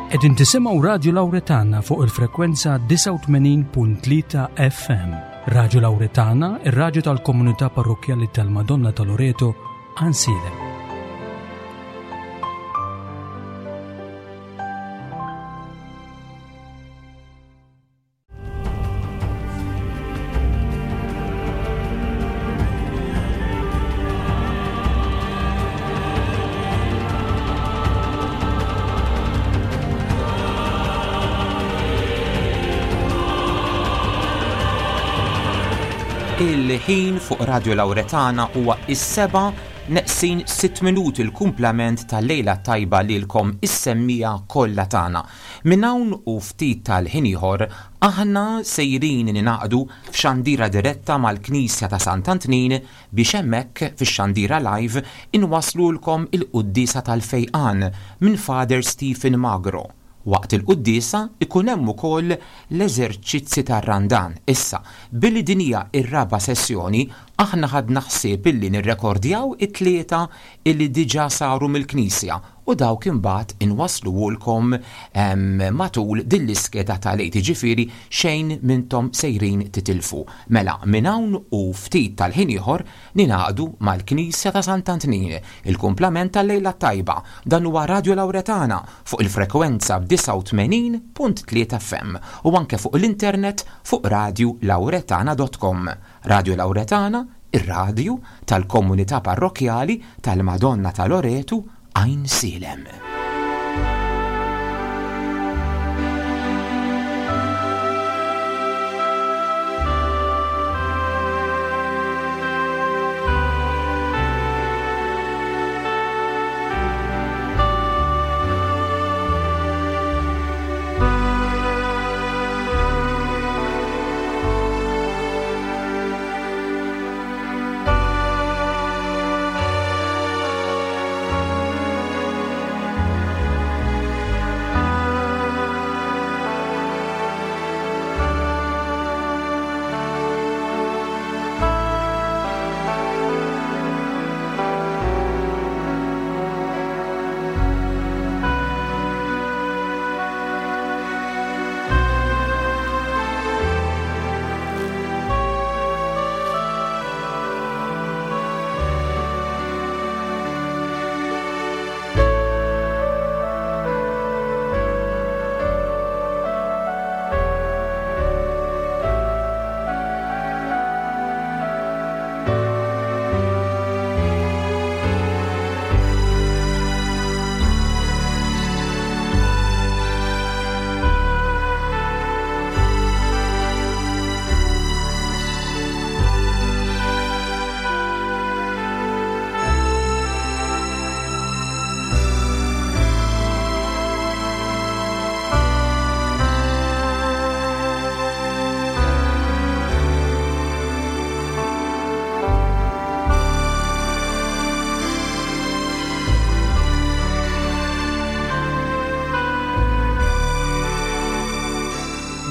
Qegħdin tisimgħu Radju Lawretana fuq il-frekwenza 89.3 FM. Radju Lawretana, ir-radju tal-komunità parrokkjali tal-Madonna ta' Loreto, Għansielem. Il-ħin fuq Radio Lauretana huwa is-seba' neqsin sitt minuti l-kumplament tal-lejla tajba lilkom is-semmija kollha tagħna. Minn hawn u ftit tal-ħin ieħor aħna sejrin ningħaqdu f'xandira diretta mal-Knisja ta' Sant'Antnin biex hemmhekk fix-xandira live inwasslulkom il-quddiesa tal-fejqan minn Father Stephen Magro. Waqt il-quddiesa jkun hemm ukoll l-eżerċizzi tar-Randan. Issa, billi din hija r-raba' sessjoni, aħna ħadna ħsieb illi nirrekordjaw it-tlieta illi diġà saru mill-Knisja u dawk imbagħad inwassluhulkom matul din l-iskeda tal-Għid, jiġifieri xejn m'intom sejrin titilfu. Mela, minn hawn u ftit tal-ħin ieħor ningħaqdu mal-Knisja ta' Sant'Antnin, il-kumplament tal-lejla t-tajba. Dan huwa Radio Lauretana fuq il-frekwenza 89.3 FM u anke fuq l-internet fuq radiolauretana.com. Radio Lauretana, ir-radju tal-komunità parrokkjali tal-Madonna ta' Loretu, Għajnsielem.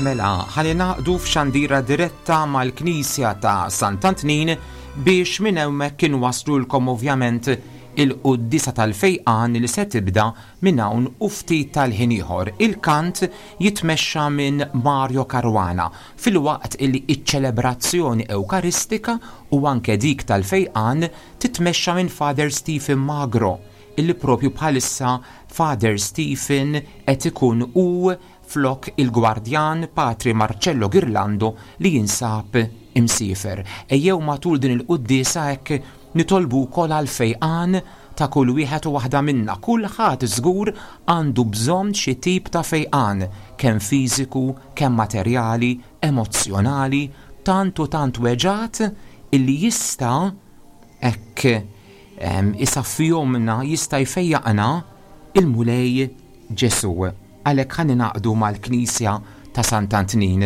Mela, ħa ningħaqdu f'xandira diretta mal-Knisja ta' Sant'Antnin biex minn hemmhekk inwasslulkom ovvjament il-quddiesa tal-fejqan li se tibda minn hawn u ftit tal-ħin ieħor. Il-kant jitmexxa minn Mario Caruana filwaqt li ċ-ċelebrazzjoni Ewkaristika u anke dik tal-fejqan titmexxa minn Father Stephen Magro illi propju bħalissa Father Stephen qed ikun hu flok il-gwardjan Patri Marcello Ghirlando li jinsab imsiefer. Ejjew matul din il-quddiesa hekk nitolbu wkoll għall-fejqan ta' kull wieħed u waħda minna. Kulħadd żgur għandu bżonn xi tip ta' fejqan, kemm fiżiku, kemm materjali, emozzjonali, tant u tant weġgħat illi jista' hekk isaffihomlna, jista' jfejjaqna il-Mulej Ġesù. Għalhekk ħa ningħaqdu mal-Knisja ta' Sant'Antnin.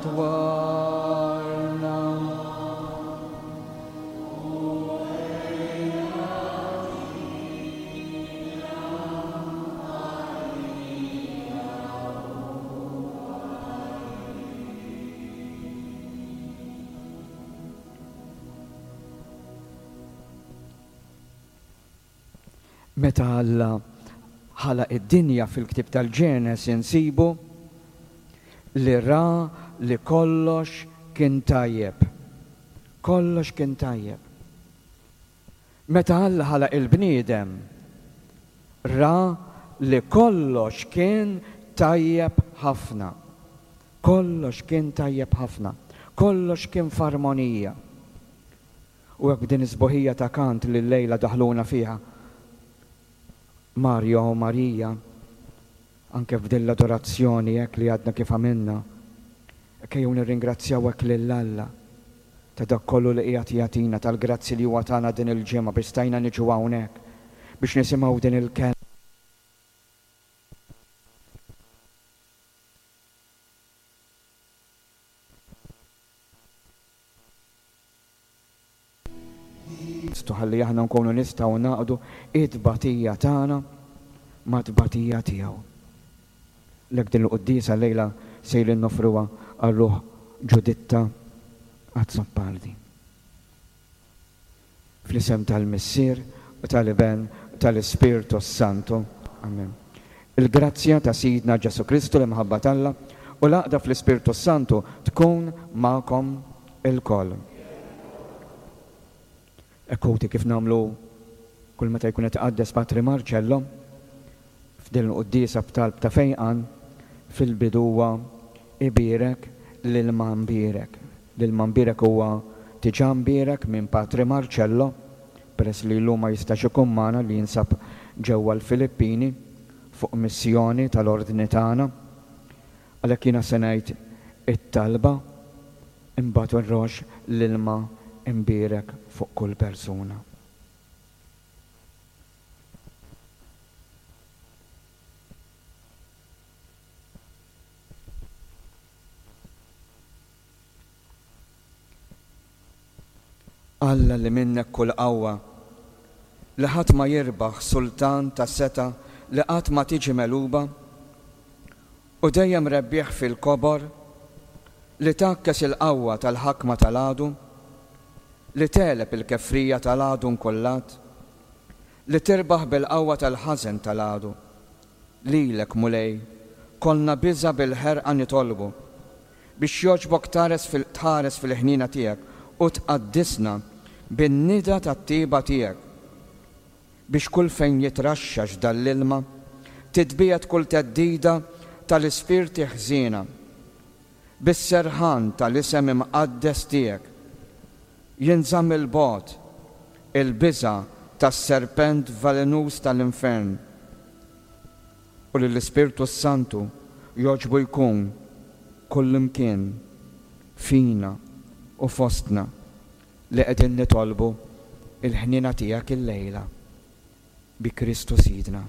dwarna. Meta Alla ħalaq id-dinja fil-ktieb tal-Ġenesi nsibu li ra li kollox kien tajjeb. Kollox kien tajjeb. Meta Alla ħalaq il-bniedem, ra li kollox kien tajjeb ħafna. Kollox kien tajjeb ħafna. Kollox kien f'armonija. U hekk b'din is-sbuħija ta' kant li llejla daħluna fiha Mario u Marija, anke f'din l-adorazzjoni hekk li għadna kif għamilna, hekk ejjew nirringrazzjaw hekk lil Alla ta' dak kollu li qiegħed jagħtina, tal-grazzi li huwa tana din il-ġimgħa biex stajna niġu hawnhekk biex nisimgħu din il-kelma. Kristu ħalli aħna nkunu nistgħu ngħaqqdu t-tbatija tagħna mat-tbatija tiegħu. Lek din il-quddiesa llejla sejrin noffruha għal ruħ Ġuditta Azzopardi. Fl-isem tal-Missier, u tal-Iben, u tal-Ispirtu s-Santu. Amen. Il-grazzja ta' Sidna Ġesù Kristu, l-imħabba t'Alla, u l-għaqda fl-Ispirtu s-Santu tkun magħkom ilkoll. Hekk ħuti kif nagħmlu kull meta jkun qed iqaddes Patri Marcello f'din il-quddiesa b'talb ta' fejqan, fil-bidu huwa ibierek l-ilma mbierek. L-ilma mbierek huwa diġà mbierek minn Patri Marcello, peress li llum ma jistax ikun magħna li jinsab ġewwa l-Filippini fuq missjoni tal-Ordni tagħna. Għalhekk jiena se ngħid it-talba imbagħad nroxx l-ilma mbierek fuq kull persuna. Alla li minnek kull qawwa, li ħadd ma jirbaħ, sultan ta' setgħa li qatt ma tiġi megħluba, u dejjem rebbieħ fil-kobor, li tgħakkes il-qawwa tal-ħakma tal-għadu, li tegħleb il-kefrija tal-għadu nkullat, li tirbaħ bil-qawwa tal-ħażen tal-għadu. Lilek, Mulej, kollna biża' bil-ħerqa nitolbu, biex jogħġbok thares fil tħares fil-ħniena tiegħek u tqaddisna bin-nida tat-tjieba tiegħek, biex kull fejn jitraxxax dan l-ilma, titbiegħed kull theddida tal-ispirti ħżiena, bis-serħan tal-isem imqaddes tiegħek. Jinżamm 'il bogħod il-biża' tas-serpent velenuż tal-infern, u li l-Ispirtu s-Santu jogħġbu jkun kullimkien fina u fostna li qegħdin nitolbu l-ħniena tiegħek illejla, bi Kristu Sidna.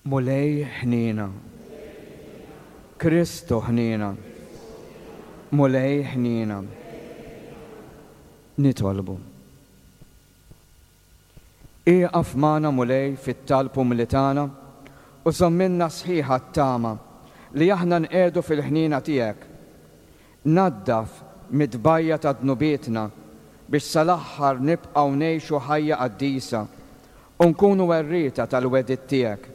Mulej ħniena. Kristu ħniena. Mulej ħniena. Nitolbu. Ieqaf magħna Mulej fit-talb umli tagħna u żommilna sħiħa t-tama li aħna nqiegħdu fil-ħniena tiegħek. Naddaf mit-tbajja ta' dnubietna biex sal-aħħar nibqgħu ngħixu ħajja qaddisa u nkunu werrieta tal-wegħdiet tiegħek.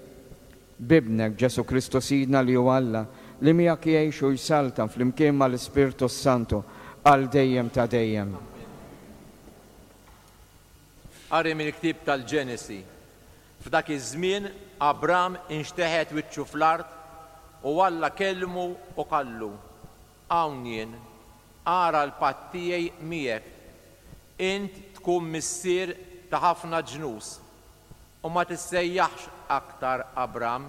B'Ibnek Ġesù Kristu Sidna li hu Alla, li miegħek jgħix u jsaltan flimkien mal-Ispirtu s-Santu għal dejjem ta' dejjem. Qari mill-ktieb tal-Ġenesi. F'dak iż-żmien Abram inxteħet wiċċu fl-art u Alla kellmu u qallu, Hawn jien, ara l-patt tiegħi miegħek. Int tkun missier ta' ħafna ġnus, u ma tissejjaħx aktar Abram,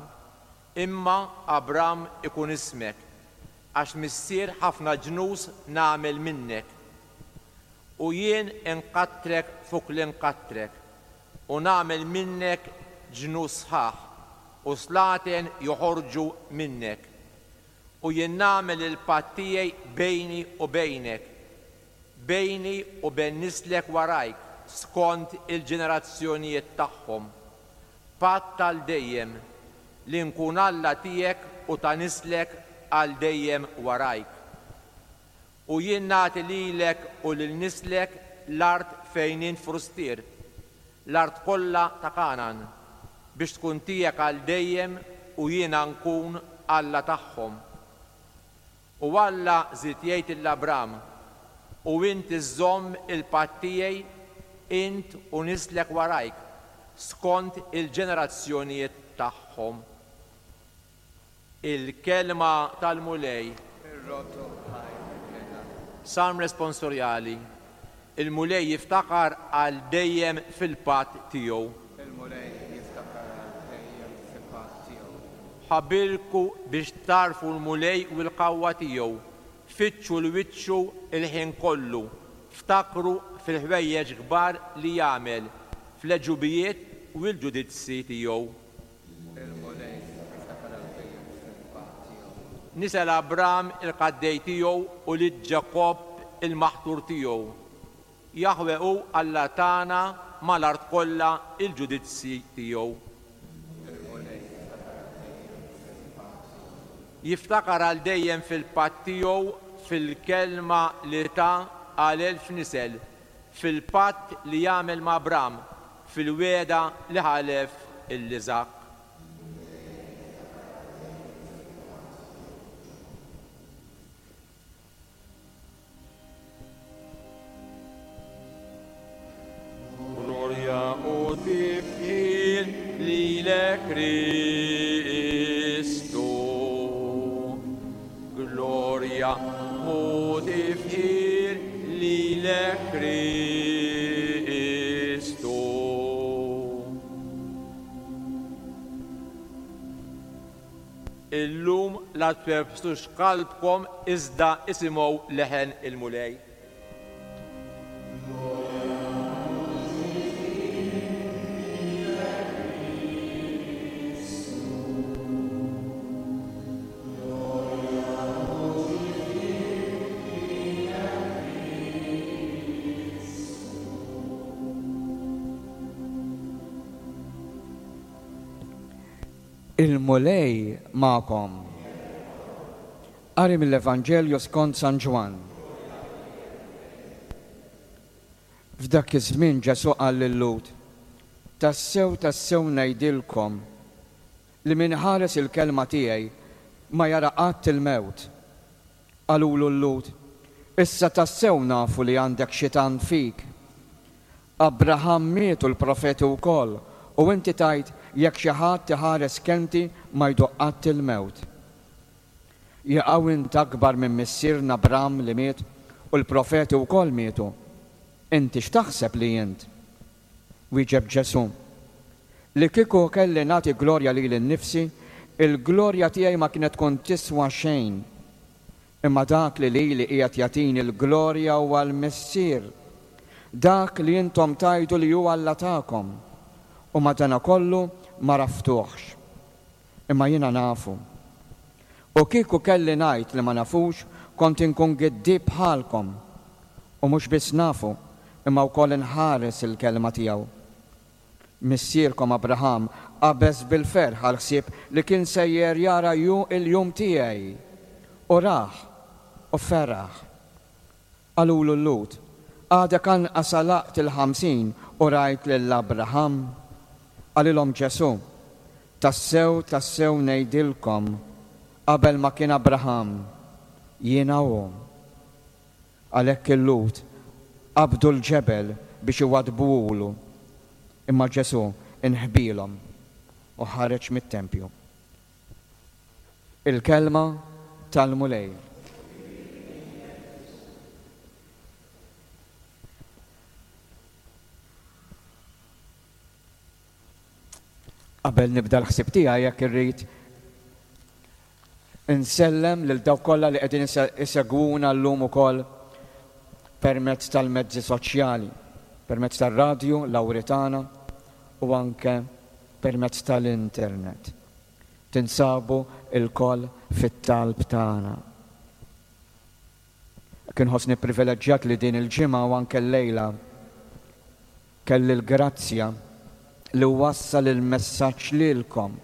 imma Abram ikun ismek, għax missier ħafna ġnus nagħmel minnek. U jien inkattrek fuq li nkattrek, u nagħmel minnek ġnus sħaħ, u slaten joħorġu minnek. U jien nagħmel il-patt tiegħi bejni u bejnek, bejni u bejn nislek warajk skont il-ġenerazzjonijiet tagħhom, patt għal dejjem, li nkun Alla tiegħek u ta' nislek għal dejjem warajk. U jien nagħti lilek u lil nislek l-art fejn int frustier, l-art kollha ta' Kangħan, biex tkun tiegħek għal dejjem u jiena nkun Alla tagħhom. U Alla żied jgħid lil Abram, U int iżżomm il-patt tiegħi, int u nislek warajk, skont il-ġenerazzjonijiet tagħhom. Il-Kelma tal-Mulej. Irroddu ħajr lil Alla. Salm Responsorjali Il-Mulej jiftakar għal dejjem fil-patt tiegħu. Il-Mulej jiftakar għal dejjem fil-patt tiegħu. Ħabirku biex tagħrfu l-Mulej u l-qawwa tiegħu, fittxu 'l wiċċu l-ħin kollu, ftakru fil-ħwejjeġ kbar li jagħmel, fl-għeġubijiet u l-ġudizzji tiegħu. Il-Mulej jiftakar għal dejjem fil-patt tiegħu. Nisel Abram il-qaddej tiegħu u lid Ġakobb il-maħtur tiegħu. Jaħweh hu Alla tagħna mal-art kollha l-ġudizzji tiegħu. Il-Mulej jiftakar għal dejjem fil-patt tiegħu. Jiftakar għal dejjem fil-patt tiegħu, fil-kelma li ta għal elf nisel, fil-patt li għamel ma' Abram, fil-wegħda li ħalef 'l Iżakk. Glorja u tifħir lilek Kristu. Glorja u tifħir lilek Kristu. Illum la twebbsux qalbkom iżda isimgħu leħen il-Mulej. Il-Mulej magħkom. Qari mill-Evanġelju skont San Ġwann. F'dak iż-żmien Ġesù qal lil-Lhud, Tassew, tassew ngħidilkom li min iħares il-kelma tiegħi ma jara qatt il-mewt. Qalulu l-Lhud, Issa tassew nafu li għandek xitan fik. Abraham miet u l-profeti wkoll, u inti tgħid, 'Jekk xi ħadd iħares kelmti ma jduq qatt il-mewt. Jaqaw int akbar minn missierna Abram li miet, u l-profeti wkoll mietu? Inti x'taħseb li int? Wieġeb Ġesù, Li kieku kelli nagħti glorja lili nnifsi, il-glorja tiegħi ma kienet tkun tiswa xejn. Imma dak li lili qiegħed jagħtini l-glorja huwa l-Missier, dak li intom tgħidu li hu Alla tagħkom, u madanakollu m'għaraftuhx. Imma jiena nafu. U kieku kelli ngħid li ma nafux, kont inkun giddieb bħalkom. U mhux biss nafu, imma wkoll inħares il-kelma tiegħu. Missierkom Abraham qabeż bil-ferħ għall-ħsieb li kien sejjer jara ju il-jum tiegħi. U rah, u feraħ. Qalulu l-Lhud, Għadek anqas għalaqt il-50 u rajt lil Abraham? Qalilhom Ġesù, Tassew, tassew ngħidilkom, qabel ma kien Abraham, jiena hu. Għalhekk il-Lhud qabdu l-ġebel biex iwaddbuhulu, imma Ġesù inħbielhom u ħareġ mit-tempju. Il-Kelma tal-Mulej. Qabel nibda l-ħsieb tiegħi jekk irrid insellem lil dawk kollha li qegħdin isegwuna llum ukoll permezz tal-mezzi soċjali, permezz tar-radju Lawritana u anke permezz tal-internet. Tinsabu lkoll fit-talb tagħna. Hekk inħossni pprivileġġjat li din il-ġimgħa u anke llejla kelli l-grazzja li wassal il-messaġġ lilkom.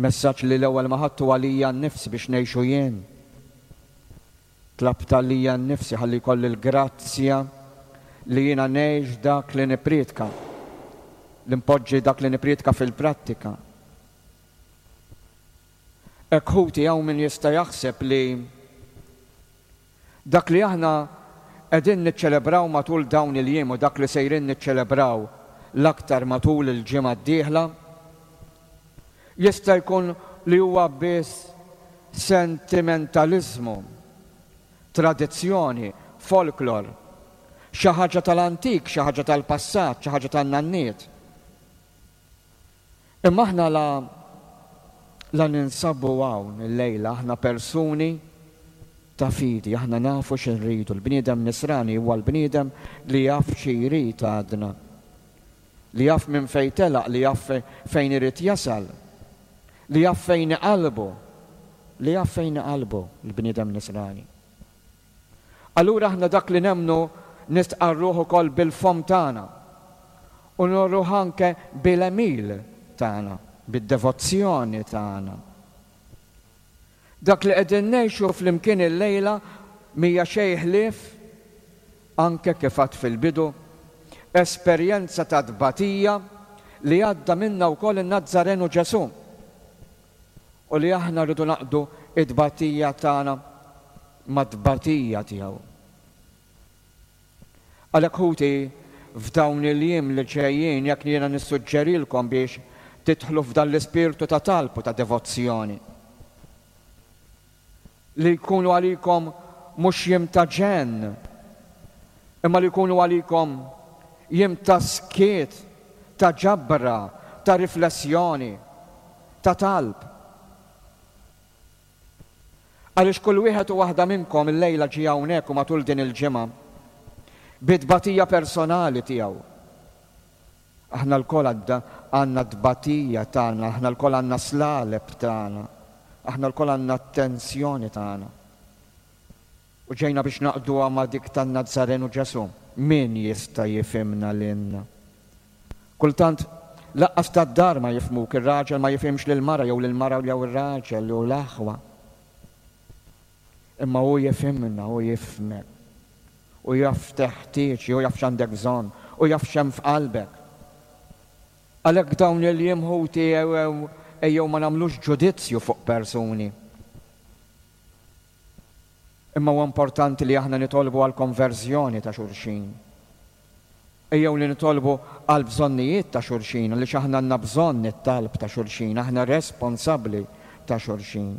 Messaġġ li l-ewwel ma ħadtu għalija nnifsi biex ngħixu jien. Tlabt għalija nnifsi ħalli jkolli l-grazzja li jiena ngħix dak li nippriedka, li npoġġi dak li nippriedka fil-prattika. Hekk ħuti hawn min jista' jaħseb li dak li aħna qegħdin niċċelebraw matul dawn il-jiem u dak li sejrin niċċelebraw l-aktar matul il-ġimgħa d-dieħla Jista' jkun li huwa biss sentimentaliżmu, tradizzjoni, folklor, xi ħaġa tal-antik, xi ħaġa tal-passat, xi ħaġa tan-nanniet. Imma aħna la la ninsabu hawn illejla aħna persuni ta' fidi, aħna nafu xi rridu. Il-bniedem nisrani huwa l-bniedem li jaf xi jrid għadna. Li jaf minn fejn telaq, li jaf fejn irid jasal, li jaf fejn hi qalbu, li jaf fejn hi qalbu l-bniedem nisrani. Allura aħna dak li nemmnu nistqarruh ukoll bil-fomm tagħna u noruh anke bil-għemil tagħna, bid-devozzjoni tagħna. Dak li qegħdin ngħixu flimkien illejla m'hija xejn ħlief, anke kif għadt fil-bidu, esperjenza ta' tbatija li għadda minnha wkoll in-Nazzarenu Ġesù u li aħna rridu ngħaqqdu t-tbatija tagħna mat-tbatija tiegħu. Għalhekk ħuti, f'dawn il-jiem li ġejjin jekk jiena nissuġġerilkom biex tidħlu f'dan l-ispirtu ta' talb u ta' devozzjoni, li jkunu għalikom mhux jiem ta' ġenn, imma li jkunu għalikom jiem ta' skiet, ta' ġabra, ta' riflessjoni, ta' talb. Għaliex kull wieħed u waħda minnkom illejla ġie hawnhekk u matul din il-ġimgħa bi tbatija personali tiegħu. Aħna lkoll għandna t-tbatija tagħna, aħna lkoll għandna slaleb tagħna, aħna lkoll għandna t-tensjoni tagħna. U ġejna biex naqduha ma' dik tan-Nazzarenu Ġesù. Min jista' jifhimna lilna? Kultant, laqqas tad-dar ma jifhmuk, ir-raġel ma jifhimx lill-mara jew lill-mara jew ir-raġel jew l-aħwa. Imma hu jifhimna, hu jifhmek. Hu jaf x'teħtieġ, hu jaf x'għandek bżonn, hu jaf x'hemm f'qalbek. Għalhekk dawn il-jiem ħuti ejjew ma nagħmlux ġudizzju fuq persuni. Imma huwa importanti li aħna nitolbu għall-konverżjoni ta' xulxin. Ejjew li nitolbu għall-bżonnijiet ta' xulxin għaliex aħna għandna bżonn it-talb ta' xulxin, aħna responsabbli ta' xulxin.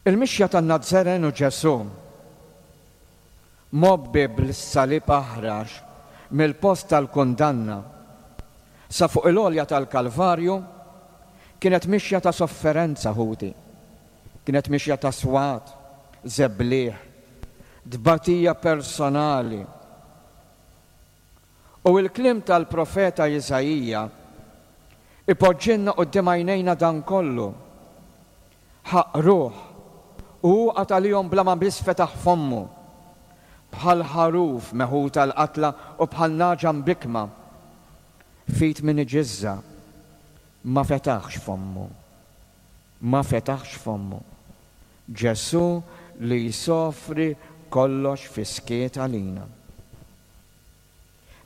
Il-mixja tan-Nazzarenu Ġesù, mgħobbi bl-salib aħrax mill-post tal-kundanna sa fuq il-għolja tal-Kalvarju, kienet mixja ta' sofferenza, ħuti. Kienet mixja ta' swat, żebliħ, tbatija personali. U l-kliem tal-profeta Iżaija. Ipoġġilna quddiem għajnejna dan kollu. Ħaqruh, u hu qagħad għalihom bla ma biss fetaħ fommu. Bħal ħaruf meħud għall-qatla u bħal nagħġa mbikkma f'id min iġiżżha, ma fetaħx fommu. Ma fetaħx fommu. Ġesù li jsofri kollox fis-skiet għalina.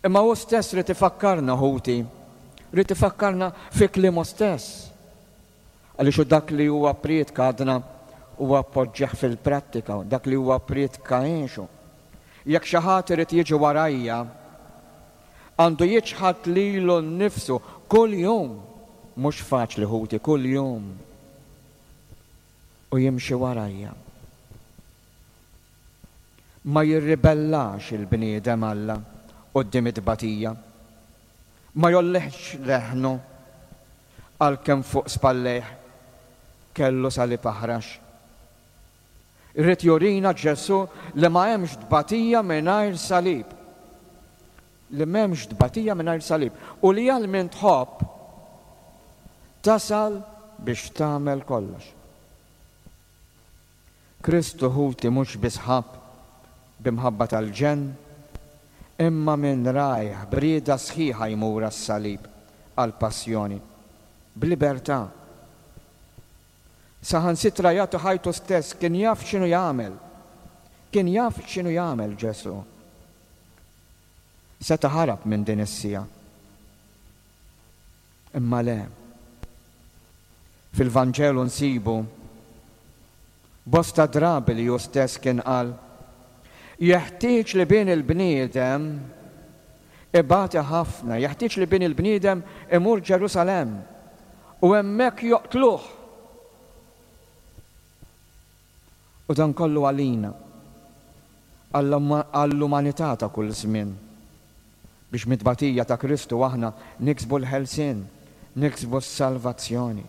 Imma hu stess ried ifakkarna, ħuti, ried ifakkarna fi kliemu stess. Għaliex hu dak li huwa pprietka għadna huwa poġġih fil-prattika, dak li huwa pprietka għexu. Jekk xi ħadd irid jiġi warajja, għandu jiċħad lilu nnifsu kuljum, mhux faċli ħuti, kuljum, u jimxi warajja. Ma jirribellax il-bniedem Alla quddiem it-tbatija. Ma jgħollihx leħnu għalkemm fuq spallejh kellu salib aħrax. Ried jurina Ġesù li ma hemmx tbatija mingħajr salib. Li m'hemmx tbatija mingħajr salib u li għal min tħobb tasal biex tagħmel kollox. Kristu ħuti mhux biss ħabb b'imħabba tal-ġenn, imma minn rajh b'rieda sħiħa jmur għas-salib, għall-passjoni, b'libertà. Saħansitra jagħti ħajtu stess, kien jaf x'inhu jagħmel. Kien jaf x'inhu jagħmel Ġesù. Seta' ħarab minn din is-siegħa. Imma le. Fil-Vanġelu nsibu bosta drabi li hu stess kien qal, Jeħtieġ li Bin il-bniedem ibati ħafna, jeħtieġ li Bin il-bniedem imur Ġerusalemm u hemmhekk joqtluh. U dan kollu għalina, għall-umanità ta' kull żmien, biex mit-tbatija ta' Kristu aħna niksbu l-ħelsien, niksbu s-salvazzjoni.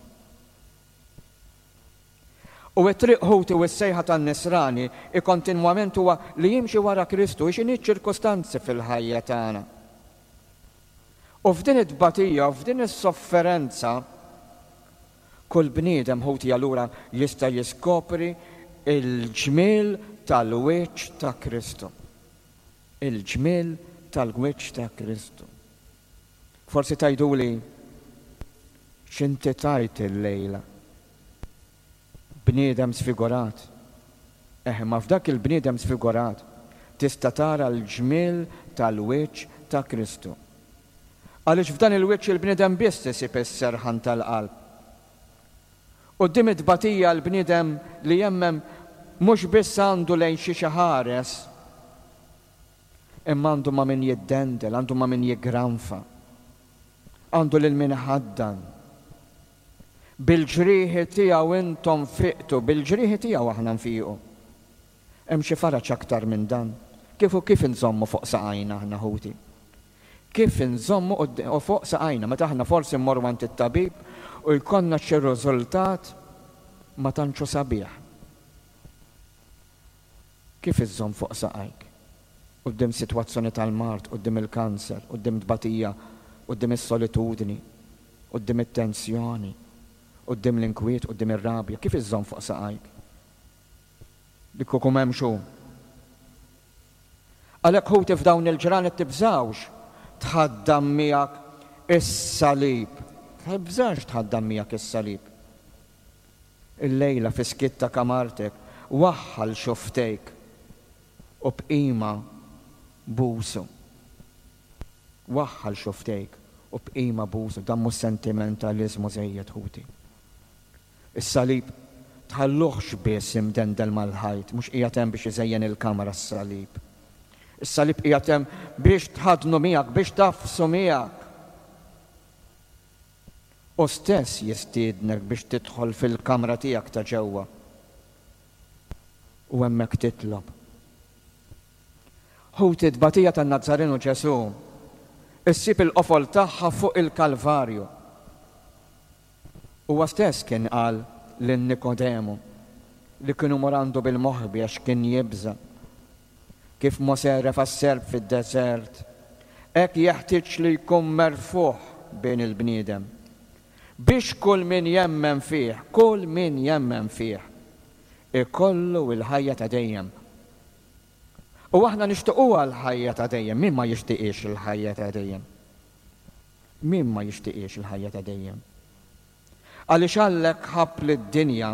U t-triq ħuti u s-sejħa tan-Nisrani hi kontinwament huwa li jimxi wara Kristu, hi x'inhi ċ-ċirkustanzi fil-ħajja tagħna. U f'din it-tbatija u f'din is-sofferenza, Kull bniedem, ħuti, allura jista' jiskopri l-ġmiel tal-wiċċ ta' Kristu. Il-ġmiel tal-wiċċ ta' Kristu. Forsi tgħiduli, X'inti tgħid illejla? Bniedem sfigurat. Eh, imma f'dak il-bniedem sfigurat tista' tara l-ġmiel tal-wiċċ ta' Kristu. Għaliex f'dan il-wiċċ il-bniedem biss isib is-serħan tal-qalb. Quddiem it-tbatija l-bniedem li jemmen mhux biss għandu lejn xiex iħares, imma għandu ma' min jiddendel, għandu ma' min jiggranfa, għandu lil min iħaddan. Bil-ġrieħi tiegħu intom fiqtu, bil-ġrieħi tiegħu aħna nfiqu. Hemm xi faraġ aktar minn dan? Kif u kif inżommu fuq saqajna aħna ħuti? Kif inżommu u fuq saqajna meta aħna forsi mmorru għand it-tabib u jkollna xi riżultat ma tantx hu sabiħ? Kif iżżomm fuq saqajk quddiem sitwazzjoni tal-mard, quddiem il-kanser, quddiem tbatija, quddiem is-solitudni, quddiem it-tensjoni, quddiem l-inkwiet, quddiem ir-rabja? Kif iżżomm fuq saqajk? Li kieku m'hemmx hu. Għalhekk ħuti f'dawn il-ġranet tibżgħux tħaddan miegħek is-salib. Tibżax tħaddan miegħek is-salib. Illejla fis-skiet ta' kamartek waħħal xufftejk u b'qima busu. Waħħal xufftejk u b'qima busu. Dan mhux sentimentaliżmu żejjed ħuti. Is-salib tħalluhx biss imdendel mal-ħajt, mhux qiegħed hemm biex iżejjen il-kamra s-salib. Is-salib qiegħed hemm biex tħaddnu miegħek, biex tagħfsu miegħek. Hu stess jistiednek biex tidħol fil-kamra tiegħek ta' ġewwa u hemmhekk titlob. Ħuti, t-tbatija tan-Nazzarenu Ġesù ssib il-qofol tagħha fuq il-Kalvarju. Huwa stess kien qal lil Nikodemu, li kien imur għandu bil-moħbi għax kien jibża', Kif Mosè refa' s-serp fid-deżert, hekk jeħtieġ li jkun merfugħ Bin il-bniedem. Biex kull min jemmen fih, kull min jemmen fih, ikollu l-ħajja ta' dejjem. U aħna nixtiquha l-ħajja ta' dejjem. Min ma jixtiqhiex il-ħajja ta' dejjem? Min ma jixtiqhiex il-ħajja ta' dejjem? Għaliex Alla hekk ħabb lid-dinja,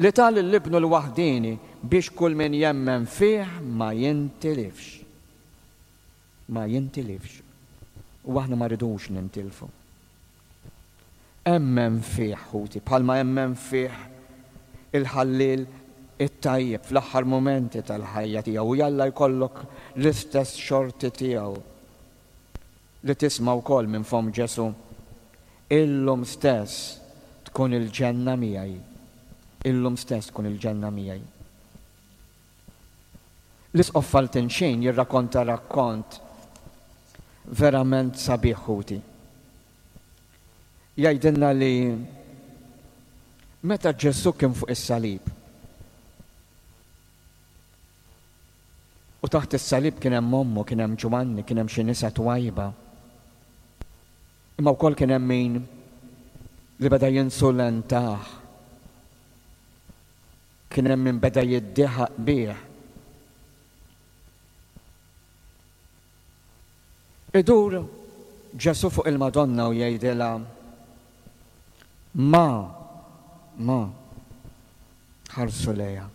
li ta lil Ibnu l-waħdieni biex kull min jemmen fih ma jintilifx. Ma jintilifx. U aħna ma rridux nintilfu. Emmen fih, ħuti, bħalma emmen fih il-ħalliel it-tajjeb fl-aħħar mumenti tal-ħajja tiegħu, u jalla jkollok l-istess xorti tiegħu li tisma' wkoll minn fomm Ġesù, Illum stess tkun il-ġenna miegħi. Illum stess tkun il-ġenna miegħi. L-Isqof Faltinxin jirrakonta rakkont verament sabiħ ħuti. Jgħidilna li meta Ġesù kien fuq is-salib, u taħt is-salib kien hemm ommu, kien hemm Ġwanni, kien hemm xi nisa twajba. Imma wkoll kien hemm min li beda jinsulentah. Kien hemm min beda jiddieħaq bih. Idur Ġesù fuq il-Madonna u jgħidilha, Ma, ma, ħarsu lejha.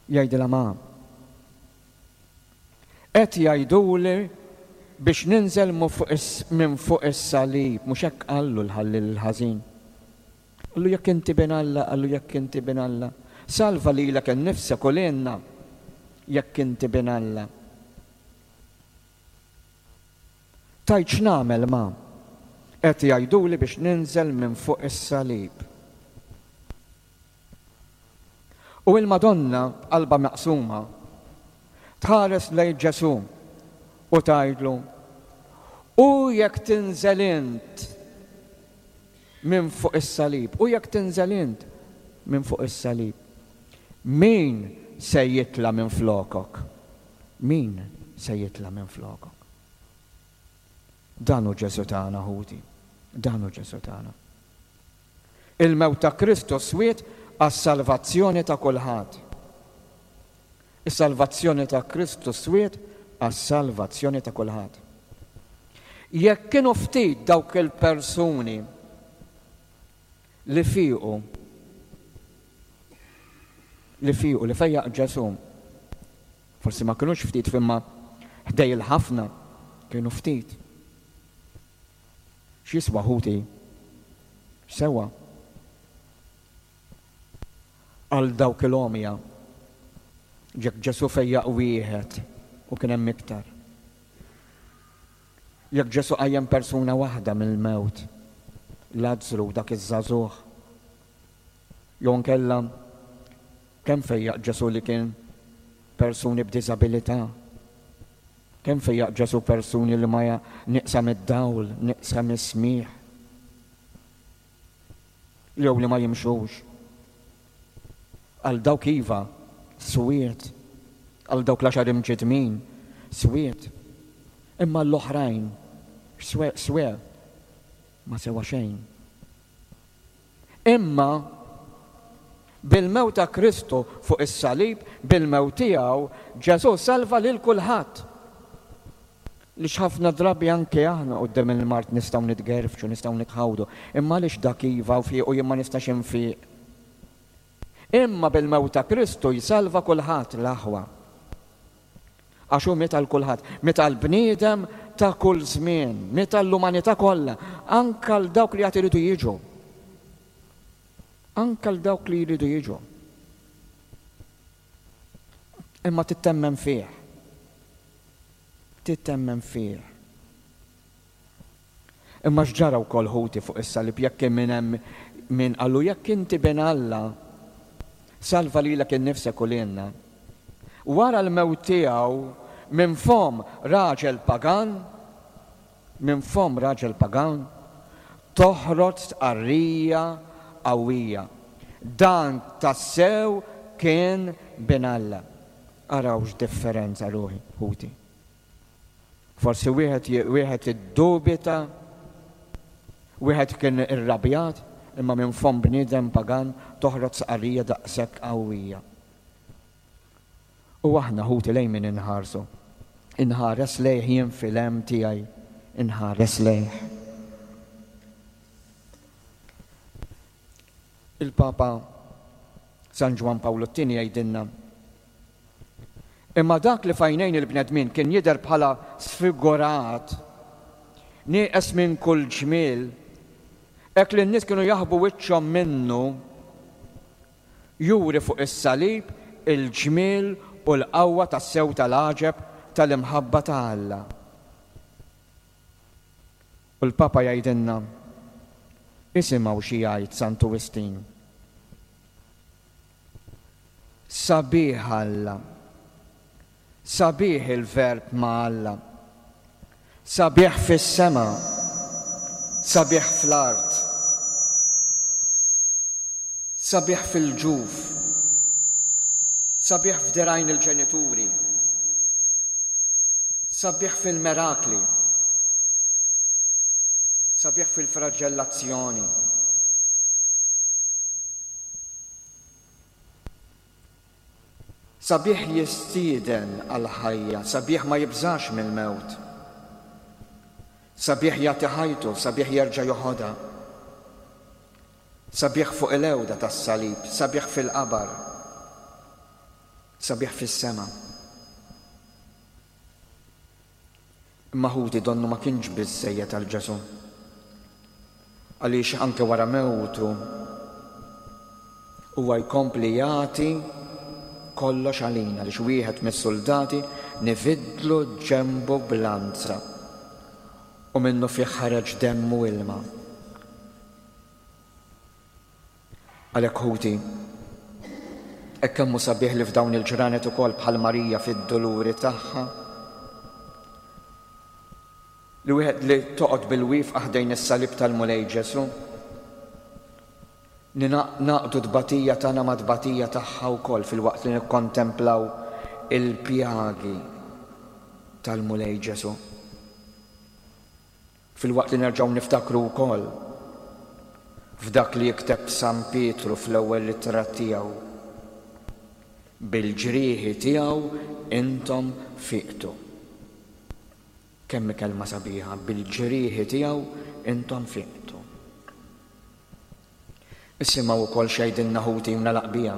Jgħidilha, Ma, qed jgħiduli biex ninżel minn fuq is-salib, mhux hekk qallu l-ħalliel il-ħażin. Qallu jekk inti bin Alla, qallu jekk inti bin Alla, salva lilek innifsek u lilna jekk inti bin Alla. Tgħid x'nagħmel ma? Qed jgħiduli biex ninżel minn fuq is-salib. U il-Madonna b'qalbha maqsuma tħares lejn Ġesù u tgħidlu, U jekk tinżel int minn fuq is-salib, u jekk tinżel int minn fuq is-salib, min se jitla' minflokok? Min se jitla' minflokok? Dan hu Ġesù tagħna, ħuti. Dan hu Ġesù tagħna. Il-mewt ta' Kristu swiet għas-salvazzjoni ta' kulħadd. Is-salvazzjoni ta' Kristu swiet għas-salvazzjoni ta' kulħadd. Jekk kienu ftit dawk il-persuni li fiequ li fiequ li fejjaq Ġesù, forsi ma kinux ftit imma ħdej il-ħafna kienu ftit. X'jiswa ħuti? X'sewa? Għal dawk il-għomja, jekk Ġesù fejjaq wieħed u kien hemm iktar. Jekk Ġesù qajjem persuna waħda mill-mewt, Lazzru dak iż-żagħżugħ, jew inkella kemm fejjaq Ġesù li kien persuni b'diżabilità, kemm fejjaq Ġesù persuni li ma nieqsa mid-dawl, nieqsa mis-smigħ. Jew li ma jimxux. Għal dawk iva, swied. Għal dawk l-għaxar imġiddmin, swied. Imma għall-oħrajn, x'swew? Ma sewa xejn. Imma bil-mewt ta' Kristu fuq is-salib, bil-mewt tiegħu, Ġesù salva lil kulħadd. Għaliex ħafna drabi anke aħna quddiem il-mard nistgħu nitgerfxu, nistgħu nitħawdu. Imma għaliex dak iva u fieq u jien ma nistax infiq? Imma bil-mewt ta' Kristu jsalva kulħadd, l-aħwa. Għax hu miet għal kulħadd, miet għall-bniedem ta' kull żmien, miet għall-umanità kollha, anke għal dawk li għad iridu jiġu. Anke għal dawk li jridu jiġu. Imma tittemmen fih. Tittemmen fih. Imma x'ġara wkoll ħuti fuq is-salib jekk kien min hemm min qallu jekk inti bin Alla, salva lilek innifsek u lilna. Wara l-mewt tiegħu minn fomm raġel pagan, minn fomm raġel pagan, toħroġ stqarrija qawwija. Dan tassew kien bin Alla. Araw x'differenza ruħi, ħuti. Forsi wieħed wieħed iddubita. Wieħed kien irrabjat, imma minn fomm bniedem pagan toħroġ stqarrija daqshekk qawwija. U aħna, ħuti, lejn min inħarsu? Inħares lejh jien fil-hemm tiegħi, inħares lejh. Il-Papa San Ġwann Pawlu t-Tieni jgħidilna, Imma dak li f'għajnejn il-bnedmin kien jidher bħala sfigurat, nieqes minn kull ġmiel, hekk li n-nies kienu jaħbu wiċċhom minnu, juri fuq is-salib il-ġmiel u l-qawwa tassew tal-għaġeb tal-imħabba ta' Alla. U l-Papa jgħidilna, Isimgħu xi jgħid Santu Wistin. Sabiħ Alla. Sabiħ il-Verb ma' Alla. Sabiħ fis-sema. Sabiħ fl-art. Sabiħ fil-ġuf. Sabiħ f'dirgħajn il-ġenituri. Sabiħ fil-merakli. Sabiħ fil-fraġellazzjoni. Sabiħ jistieden għall-ħajja, sabiħ ma jibżax mill-mewt. Sabiħ jagħti ħajtu, sabiħ jerġa' joħodha. Sabiħ fuq il-għewda tas-salib, sabiħ fil-qabar, sabiħ fis-sema. Imma ħuti donnu ma kienx biżżejjed għal Ġesù. Għaliex anke wara mewtu huwa jkompli jagħti kollox għalina għaliex wieħed mis-suldati nividlu ġenbu b'lanza u minnufih ħareġ demm u ilma. Għalhekk ħuti, hekk kemm hu sabiħ li f'dawn il-ġranet ukoll bħal Marija fid-duluri tagħha, li wieħed li toqgħod bil-wieqfa ħdejn is-salib tal-Mulej Ġesù, li nagħqdu t-tbatija tagħna mat-tbatija tagħha wkoll filwaqt li nikkontemplaw il-pjagi tal-Mulej Ġesù. Filwaqt li nerġgħu niftakru wkoll f'dak li jikteb San Pietru fl-ewwel ittra tiegħu, Bil-ġrieħi tiegħu intom fiqtu. Kemm hi kelma sabiħa, bil-ġrieħi tiegħu intom fiqtu. Isimgħu wkoll x'jgħidilna ħuti u nagħlaq biha.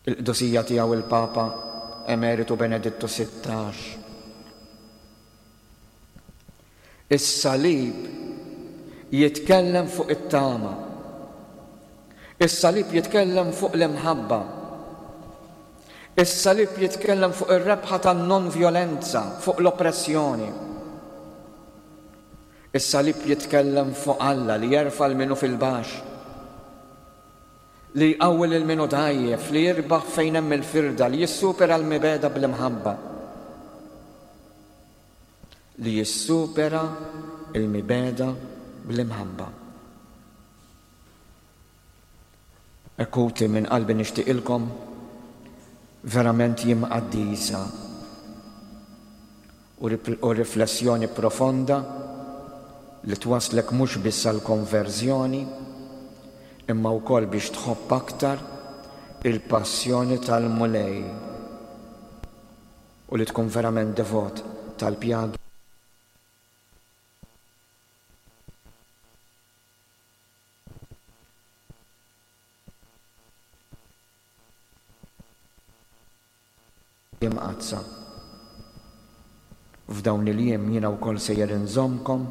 Il-Qdusija Tiegħu il-Papa Emeritu Benedittu 16. Is-salib jitkellem fuq it-tama. Is-salib jitkellem fuq l-imħabba. Is-salib jitkellem fuq ir-rebħa tan-non-vjolenza, fuq l-oppressjoni. Is-salib jitkellem fuq Alla li jerfa' 'l min hu fil-baxx. Li jqawwi lil min hu dgħajjef, li jirbaħ fejn hemm il-firda, li jissupera l-mibegħda bl-imħabba. Li jissupera l-mibegħda bl-imħabba. Hekk ħuti minn qalbi nixtieqilkom verament jiem qaddisa u riflessjoni profonda li twasslek mhux biss għall-konverżjoni imma wkoll biex tħobb aktar il-passjoni tal-Mulej u li tkun verament devot tal-pjagi Imqaddsa. F'dawn il-jiem jiena wkoll sejjer inżommkom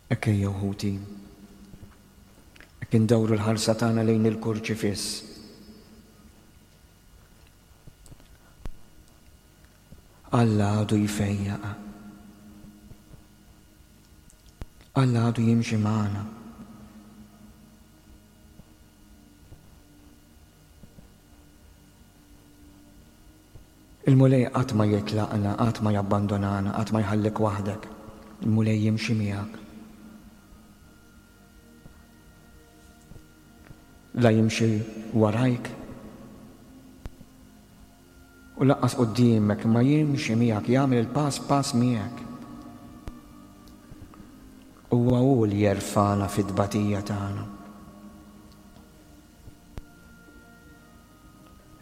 Hekk ejjew ħuti, hekk indawru l-ħarsa tagħna lejn il-Kurċifiss. Alla għadu jfejjaq. Alla għadu jimxi magħna. Il-Mulej qatt ma jitlaqna, qatt ma jabbandunana, qatt ma jħallik waħdek. Il-Mulej jimxi miegħek. La jimxi warajk u lanqas quddiemek, imma jimxi miegħek, jagħmel il-pass pass miegħek. Huwa hu li jerfagħna fit-tbatija tagħna.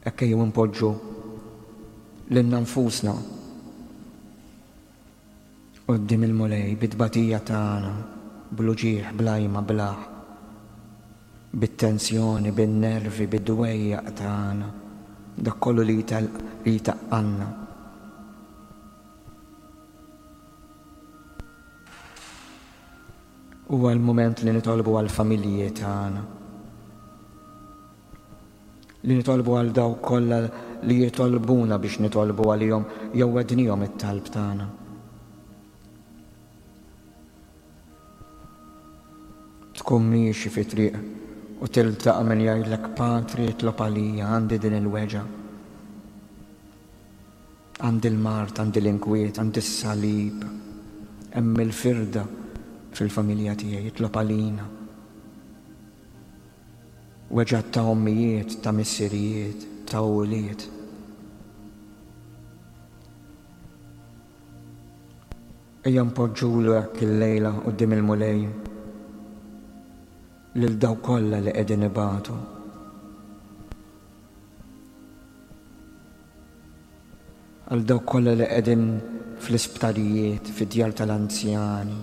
Hekk ejjew inpoġġu lilna nfusna quddiem il-Mulej bit-tbatija tagħna, bl-uġigħ, bl-għajma, bl-aħ, bit-tensjoni, bin-nervi, bid-dwejjaq tagħna, dak kollu li jtaqqalna. Huwa l-mument li nitolbu għall-familji tagħna. Li nitolbu għal dawk kollha li jitolbuna biex nitolbu għalihom jew wegħdnihom it-talb tagħna. Tkun miexi fi triq u tiltaqa' min jgħidlek Patri itlob għalija għandi din il-weġgħa. Għandi l-mard, għandi l-inkwiet, għandi s-salib. Hemm il-firda fil-familja tiegħi, itlob għalina. Weġgħat ta' ommijiet, ta' missirijiet, ta' ulied. Ejja npoġġulu hekk illejla quddiem il-Mulej lil dawk kollha li qegħdin ibatu. Għal dawk kollha li qegħdin fl-isptarijiet, fid-djar tal-anzjani.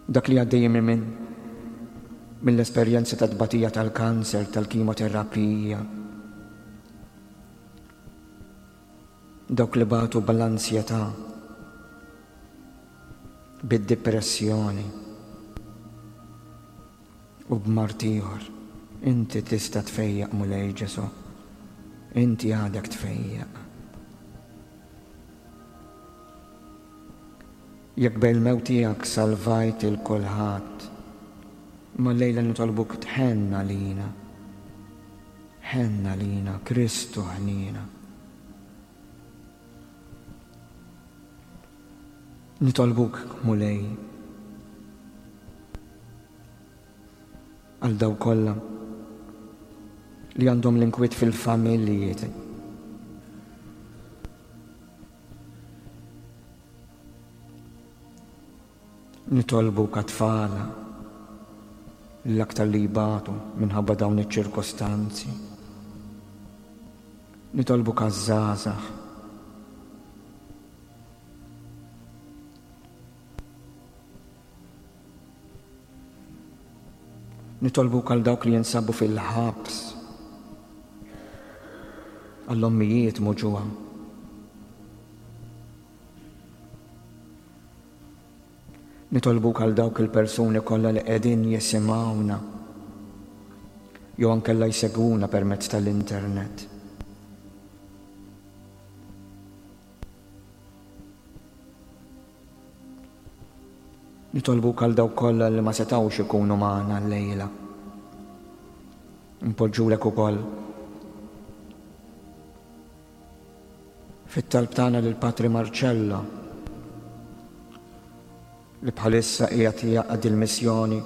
Dak li għaddejjin minn mill-esperjenza ta' tbatija tal-kanser, tal-kimoterapija. Dawk li batu bl-ansjetà, bid-dipressjoni u b'mard ieħor. Inti tista' tfejjaq Mulej Ġesù. Inti għadek tfejjaq. Jekk bil-mewt tiegħek salvajt 'il kulħadd, imma llejla nitolbuk tħenn għalina. Ħenn għalina, Kristu ħniena. Nitolbuk, Mulej, għal dawk kollha li għandhom l-inkwiet fil-familji. Nitolbuk għat-tfal l-aktar li jbatu minħabba dawn iċ-ċirkostanzi. Nitolbuk għaż-żgħażagħ. Nitolbuk għal dawk li jinsabu fil-ħabs, għall-ommijiet muġugħa. Nitolbuk għal dawk il-persuni kollha li qegħdin jisimgħuna jew ankella jsegwuna permezz tal-internet. Nitolbuk għal dawk kollha li ma setgħux ikunu magħna llejla. Npoġġulek ukoll fit-talb tagħna lil Patri Marcello li bħalissa qiegħed jaqdi l-missjoni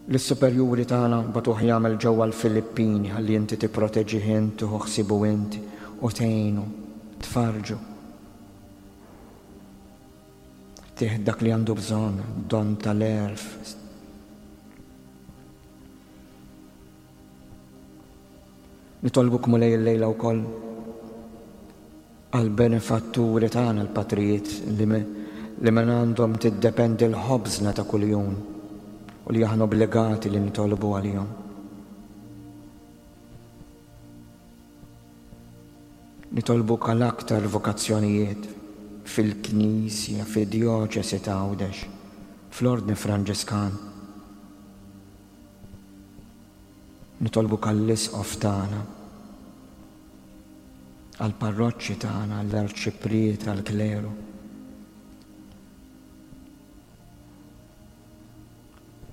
li s-superjuri tagħna bagħtuh jagħmel ġewwa l-Filippini ħalli inti tipproteġih int, tieħu ħsiebu int u tgħinu, tfarrġu. Tih dak li għandu bżonn, don tal-għerf. Nitolbuk Mulej illejla wkoll għall-benefatturi tagħna l-patrijiet li li minn għandhom tiddependi l-ħobżna ta' kuljum u li aħna obbligati li nitolbu għalihom. Nitolbuk għal aktar vokazzjonijiet fil-Knisja, fid-Djoċesi ta' Għawdex, fl-Ordni Franġiskan. Nitolbuk għall-Isqof tagħna. Għall-parroċċi tagħna, għall-arċipriet, għall-kleru.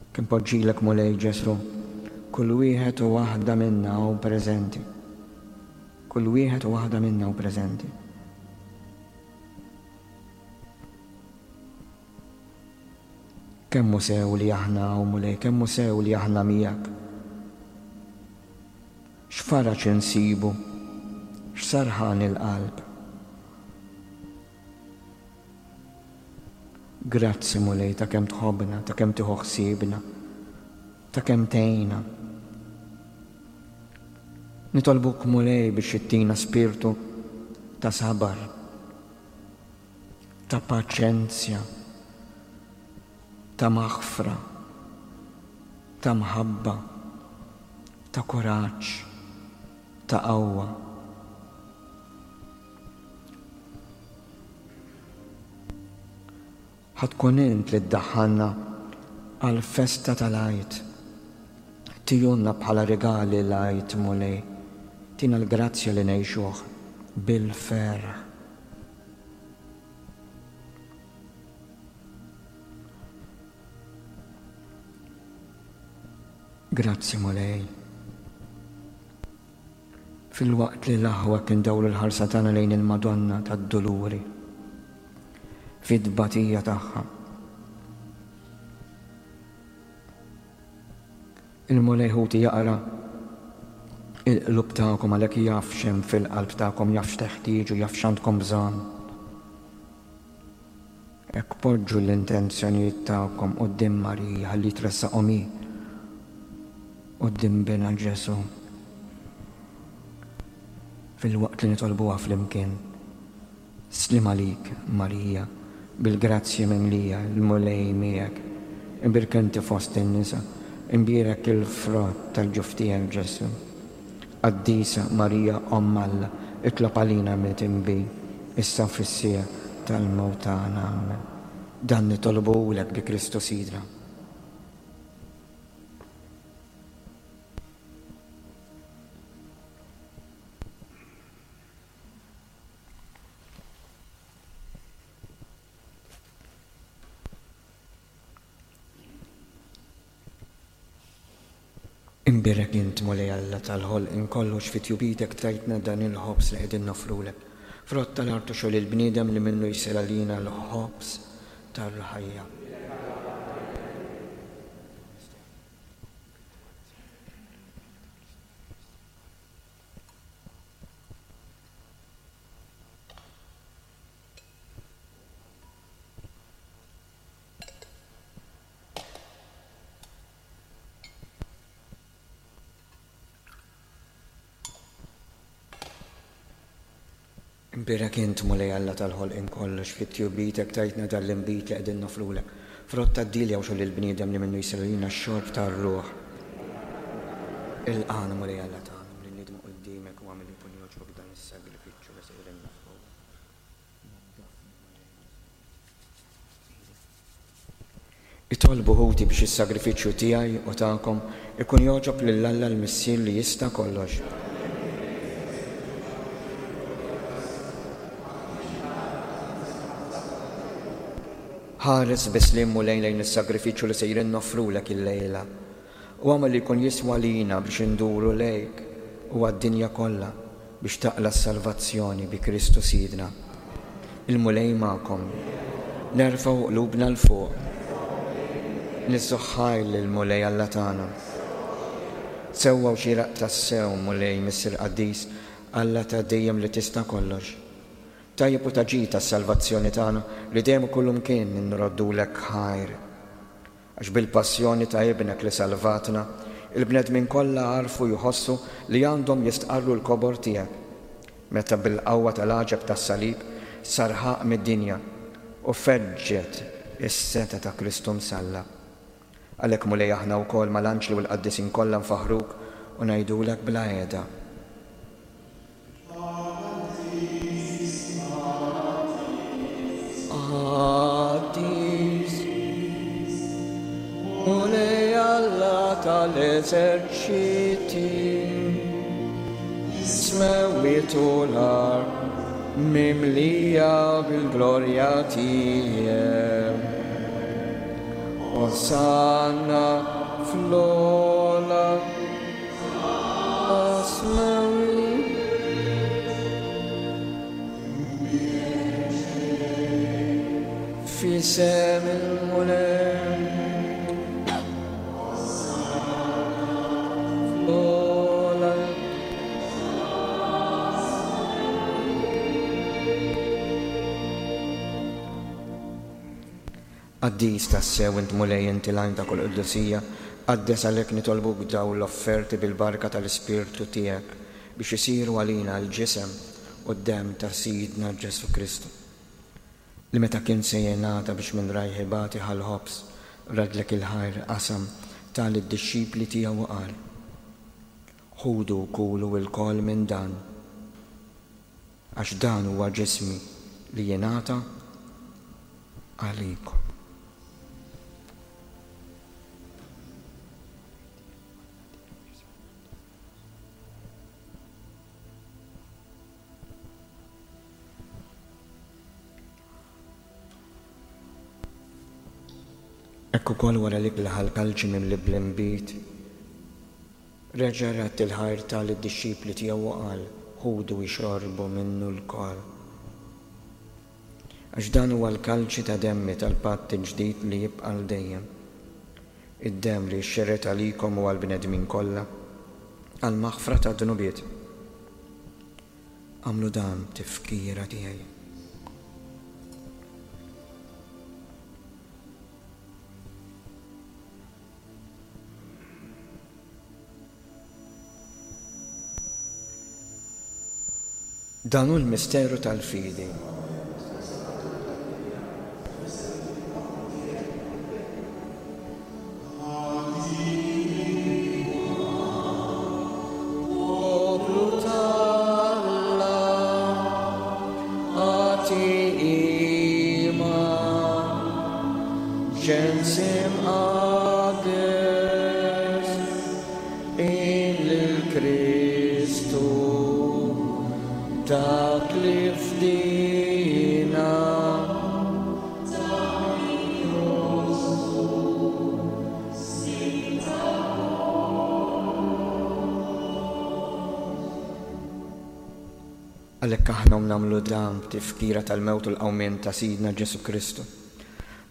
Kien poġġilek Mulej Ġesù, kull wieħed u waħda minna hawn preżenti. Kull wieħed u waħda minna hawn preżenti. Kemm hu sew li aħna hawn Mulej, kemm hu sew li aħna miegħek. X'faraġ insibu, x'sarħan il-qalb. Grazzi Mulej ta' kemm tħobbna, ta' kemm tieħu ħsiebna, ta' kemm tgħinna. Nitolbuk Mulej biex ittina spirtu ta' sabar, ta' paċenzja, ta' maħfra, ta' mħabba, ta' kuraġġ, ta' qawwa. Ħa tkun int li ddaħħalna għall-festa tal-Għid. Tihulna bħala rigali l-Għid, Mulej. Tina l-grazzja li ngħixuh bil-ferħ. Grazzi, Mulej. Filwaqt li l-aħwa kien dawru l-ħarsa tagħna lejn il-Madonna tad-Duluri fit-tbatija tagħha. Il-Mulej ħuti jaqra il-qlub tagħkom għalhekk jaf x'hemm fil-qalb tagħkom, jaf x'teħtieġu, jaf x'għandkom bżonn. Hekk poġġu l-intenzjonijiet tagħkom quddiem Marija ħalli tressaqhom hi quddiem Binha Ġesù. Filwaqt li nitolbuha flimkien. Sliem għalik, Marija, bil-grazzja mimlija, il-Mulej miegħek. Imbierka inti fost in-nisa, imbierek il-frott tal-ġuf tiegħek Ġesù. Qaddisa Marija Omm Alla, itlob għalina midinbin, issa u fis-siegħa tal-mewt tagħna. Amen. Dan nitolbuhulek bi Kristu Sidna. Imbierek int, Mulej Alla tal-ħolqien kollu, għax fi tjubitek tajtna dan il-ħobż li qegħdin noffrulek, frott tal-art u xogħol il-bniedem li minnu jsir għalina l-ħobż tal-ħajja. Imbierek int, Mulej Alla tal-ħolqien kollu, għax fi tjubitek tajtna dan l-inbid li qegħdin noffrulek, frott tad-dielja u xogħol il-bniedem li minnu jsir għalina x-xorb tar-ruħ. Ilqagħna, Mulej Alla tagħna, billi nidmu quddiemek u agħmel li jkun jogħġbok dan is-sagrifiċċju li sejrin noffrulek. Itolbu ħuti biex is-sagrifiċċju tiegħi u tagħkom ikun jogħġob lil Alla l-Missier li jista' kollox. Ħares bi sliem Mulej lejn is-sagrifiċċju li sejrin noffrulek illejla, u agħmel li jkun jiswa lina biex induru lejk u għad-dinja kollha biex taqla' s-salvazzjoni bi Kristu Sidna. Il-Mulej magħkom. Nerfgħu qlubna 'l fuq. Niżżuh ħajr lill-Mulej Alla tagħna. Sewwa u xieraq tassew, Mulej, Missier qaddis, Alla ta' dejjem li tista' kollox. Tajjeb u ta' ġid għas-salvazzjoni tagħna li dejjem u kullumkien inroddulek ħajr. Għax bil-passjoni ta' Ibnek li salvatna, il-bnedmin kollha għarfu jħossu li għandhom jistqarru l-kobor tiegħek, meta bil-qawwa tal-għaġeb tas-salib sar ħaqq mid-dinja u feġġet is-setgħa ta' Kristu msallab. Għalhekk Mulej aħna wkoll mal-anġli u l-qaddisin kollha nfaħħruk u ngħidulek bla heda. Qaddis, Mulej Alla tal-eżerċiti. Smewwiet u l-art mimlija bil-glorja tiegħek. Osanna fl-ogħla tas-smewwiet. F'isem il-Mulej. Fl-ogħla. Qaddis tassew int Mulej inti l-għajn ta' kull qdusija, qaddes għalhekk nitolbuk dawn l-offerti bil-barka tal-Ispirtu tiegħek biex isiru għalina l-ġisem u d-demm ta' Sidna Ġesù Kristu. Li meta kien se jingħata biex minn rajh ibati ħa l-ħobż, raddlek il-ħajr, qasam, ta lid-dixxipli tiegħu u qal, Ħudu u kulu ilkoll minn dan, għax dan huwa ġismi li jingħata għalikom. Hekk ukoll wara l-ikla ħa l-kalċi mimli bl-inbid, reġa' radd il-ħajr ta lid-dixxipli tiegħu u qal, Ħudu ixorbu minnu lkoll. Għax dan huwa l-kalċi ta' demmi tal-patt il-ġdid li jibqa' għal dejjem, id-demm li jixxerred għalikom u għall-bnedmin kollha għall-maħfra tad-dnubiet. Agħmlu dan b'tifkira tiegħi. Dan hu l-misteru tal-fidi. Poplu t'Alla, agħti qima, ġens imqaddes, qim lil Kristu, dak li fdina. Għalhekk aħna u nagħmlu dan b'tifkira tal-mewt u l-qawmien ta' Sidna Ġesù Kristu,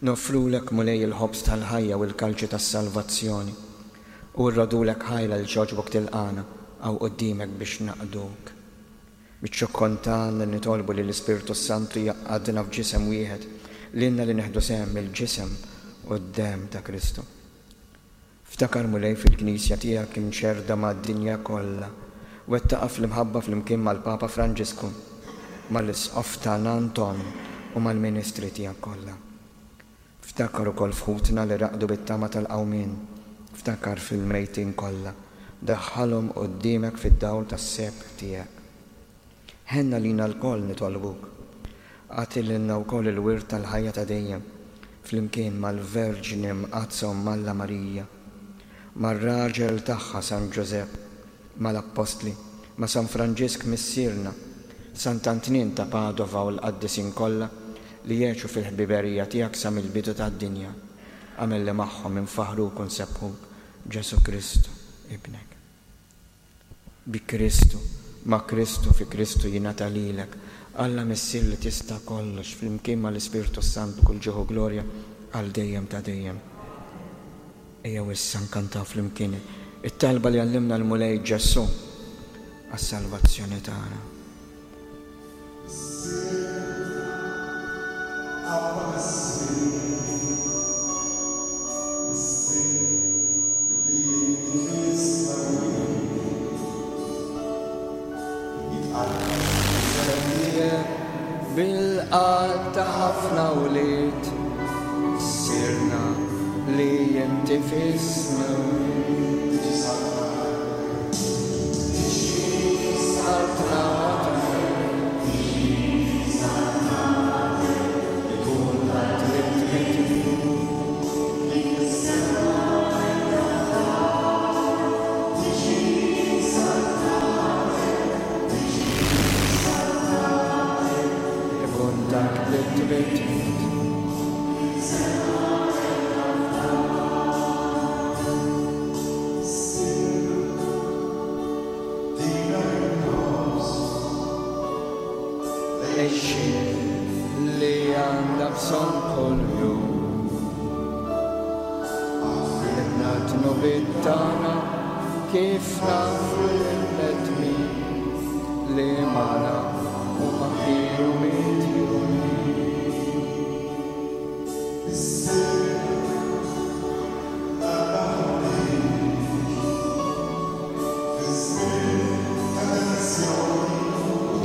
noffrulek, Mulej, il-ħobż tal-ħajja u l-kalċi tas-salvazzjoni, u rrodulek ħajr għaliex għoġbok tilqagħna hawn quddiemek biex naqduk. Biċ-ċokkon tagħna nitolbu li l-Ispirtu s-Santu jgħaqqadna f'ġisem wieħed, lilna li nieħdu sehem mill-ġisem u d-demm ta' Kristu. Ftakar, Mulej, fil-Knisja tiegħek imxerrda mad-dinja kollha, wettaqha fl-imħabba flimkien mal-Papa Franġisku, mal-Isqof tagħna Anton u mal-ministri tiegħek kollha. Ftakar ukoll f'ħutna li raqdu bit-tama tal-qawmien, ftakar fil-mejtin kollha, daħħalhom quddiemek fid-dawl tas-sebħ tiegħek. Ħenn għalina lkoll nitolbuk. Agħti lilna wkoll il-wirt tal-ħajja ta' dejjem, flimkien mal-Verġni Mqaddsa Omm Alla Marija, mar-raġel tagħha San Ġużepp, mal-Appostli, ma' San Franġisk Missierna, Sant'Antnin ta' Padova u l-qaddisin kollha li għexu fil-ħbiberija tiegħek sa mill-bidu tad-dinja. Agħmel li magħhom infaħħruk u nsebbħuk, Ġesù Kristu, Ibnek. Bi Kristu, ma' Kristu, fi Kristu jingħata lilek, Alla Missier li tista' kollox, flimkien mal-Ispirtu s-Santu kull ġieħ u glorja għal dejjem ta' dejjem. Ejjew issa nkantaw flimkien it-talba li għallimna l-Mulej Ġesù għas-salvazzjoni tagħna. Bil-qatgħa ta' ħafna wlied sirna li inti fis-smewwiet. l-għixien li għandna bżonn kuljum. Aħfrilna d-dnubiet tagħna kif naħfru lill-bnedmin li magħna huma kienu midjunin.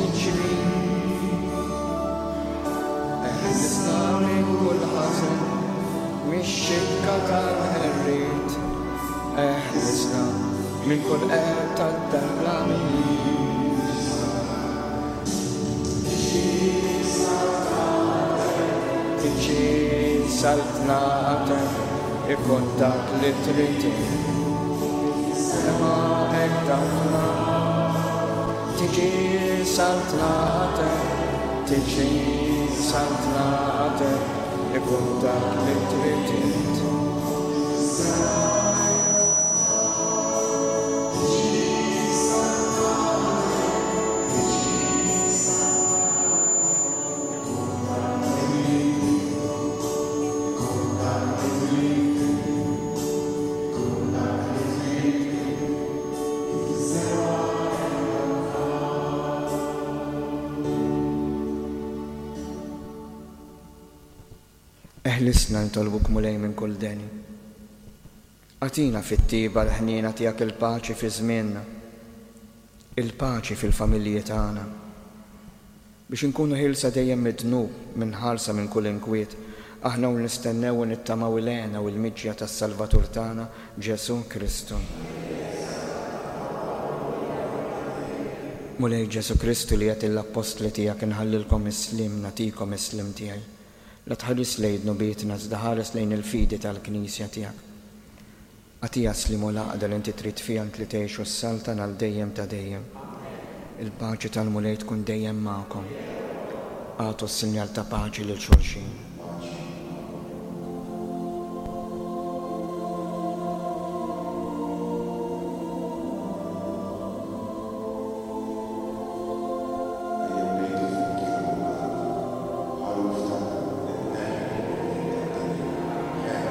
Iġri, eħlisna minn kull ħażen, mix-xibka tal-qerried, eħlisna minn kull qerq tad-dar bla Tiġi saltnatek, ikun dak li trid int. Fis-sema hekk dak l-art. Tiġi saltnatek, tiġi saltnatek, ikun dak li trid int. Fis-sema hekk dak l-art. Tiġi saltnatek, tiġi saltnatek. Eħlisna nitolbuk Mulej minn kull deni. Agħtina fit-tjieba l-ħniena tiegħek il-paċi fi żmienna, il-paċi fil-familji tagħna. Biex inkunu ħielsa dejjem mid-dnub, minħarsa minn kull inkwiet, aħna u nistennew u nittamaw il-hena u l-miġja tas-Salvatur tagħna, Ġesù Kristu. Mulej Ġesù Kristu li għedt lill-appostli tiegħek inħallilkom is-sliem, nagħtikom is-sliem tiegħi. La tħarisx lejn dnubietna iżda ħares lejn il-fidi tal-Knisja tiegħek. Agħtiha s-sliem u l-għaqda li inti trid fiha int li tgħix u ssaltan għal dejjem ta' dejjem. Il-paċi tal-Mulej tkun dejjem magħkom. Agħtu s-sinjal ta' paċi lil xulxin. Ejjew ngħidu flimkien ma' kulħadd, Ħaruf t'Alla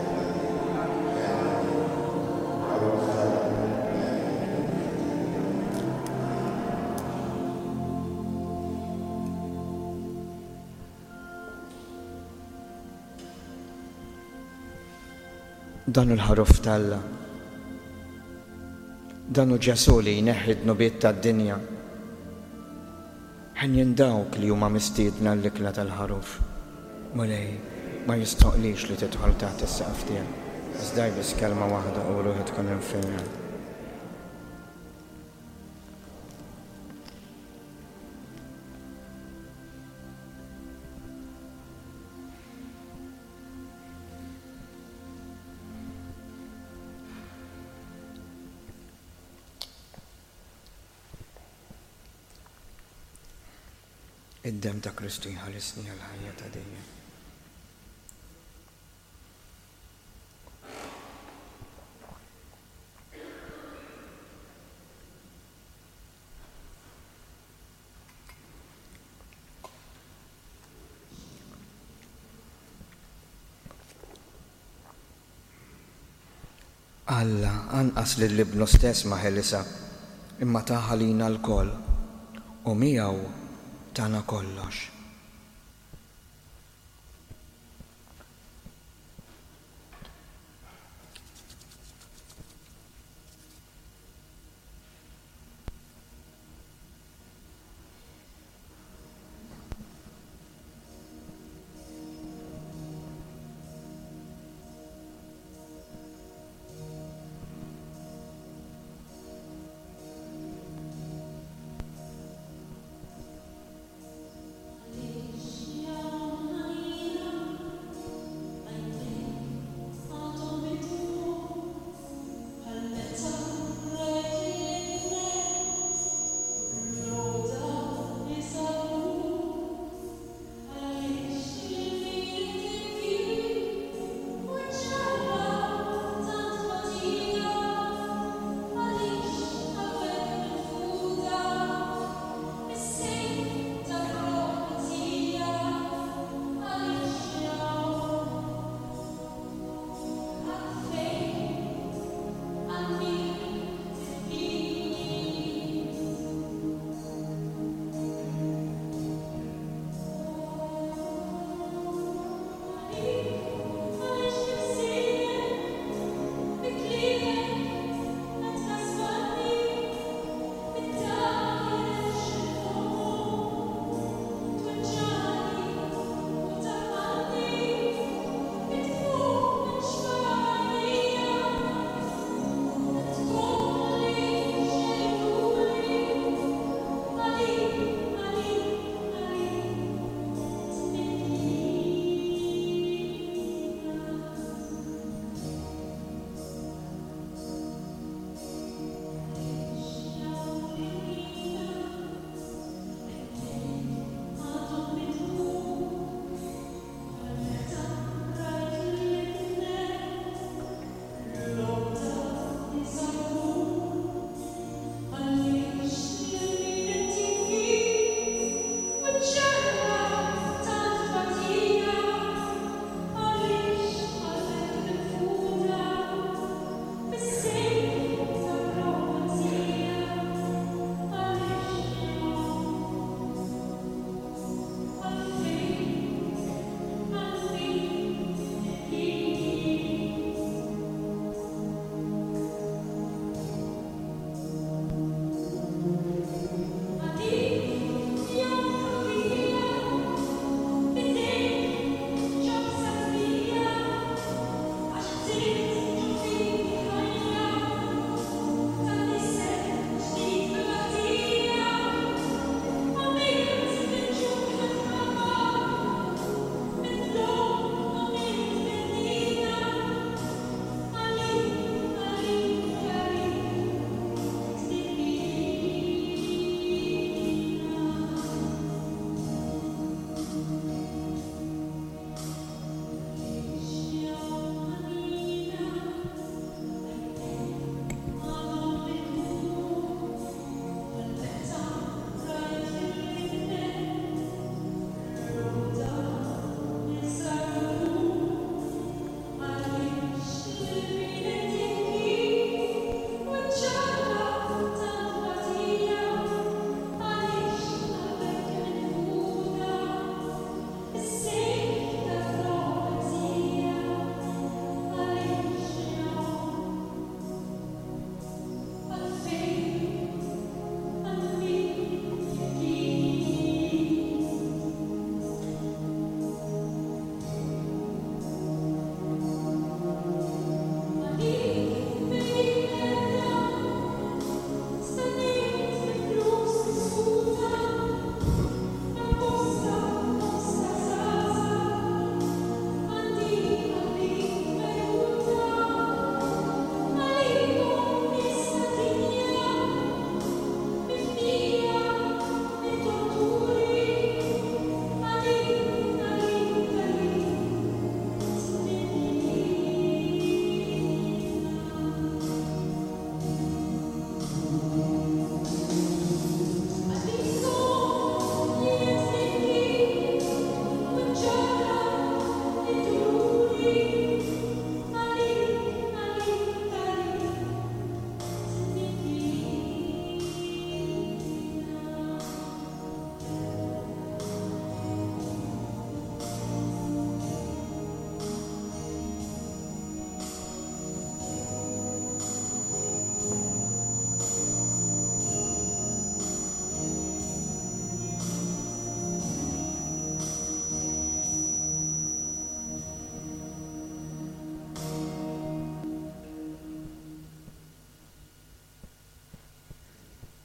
li tneħħi l-dnubiet tad-dinja, ħenn għalina. Ħaruf t'Alla li tneħħi l-dnubiet tad-dinja, ħenn għalina. Ħaruf t'Alla li tneħħi l-dnubiet tad-dinja, ħenn għalina. Dan hu l-Ħaruf t'Alla. Dan hu Ġesù li jneħħi d-dnubiet tad-dinja. Henjin dawk li huma mistiedna għall-ikla tal-Ħaruf. Mulej, ma jistħoqqlix li tidħol taħt is-saqaf tiegħi, iżda għid biss kelma waħda u ruħi tkun imfejqa. Id-demm ta' Kristu jħarisni għall-ħajja ta' dejjem. Alla anqas lil Ibnu stess ma ħelisha, imma tah għalina lkoll, u miegħu tana kollox.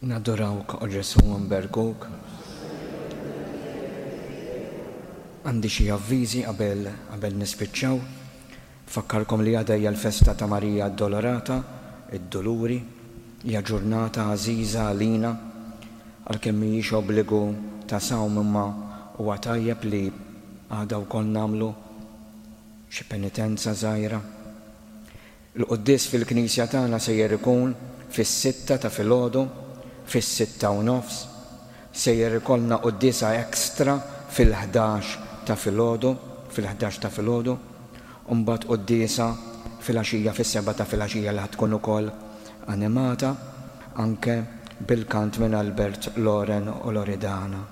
Nadurawk, O Ġesù, u nberkuk. Għandi xi avviżi qabel qabel nispiċċaw. Nfakkarkom li għada hija l-festa ta' Marija Addolorata, id-Duluri. Hija ġurnata għażiża għalina, għalkemm mhijiex obbligu ta' sawm imma huwa tajjeb li għada wkoll nagħmlu xi penitenza żgħira. Il-quddies fil-knisja tagħna sejjer ikun fis-sitta ta' filgħodu, fis-6:30. Sejjer ikollna quddiesa extra fil-ħdax ta' filgħodu, fil-ħdax ta' filgħodu, u mbagħad quddiesa filgħaxija fis-sebgħa ta' filgħaxija li ħa tkun ukoll animata anke bil-kant minn Albert Loren u Loredana.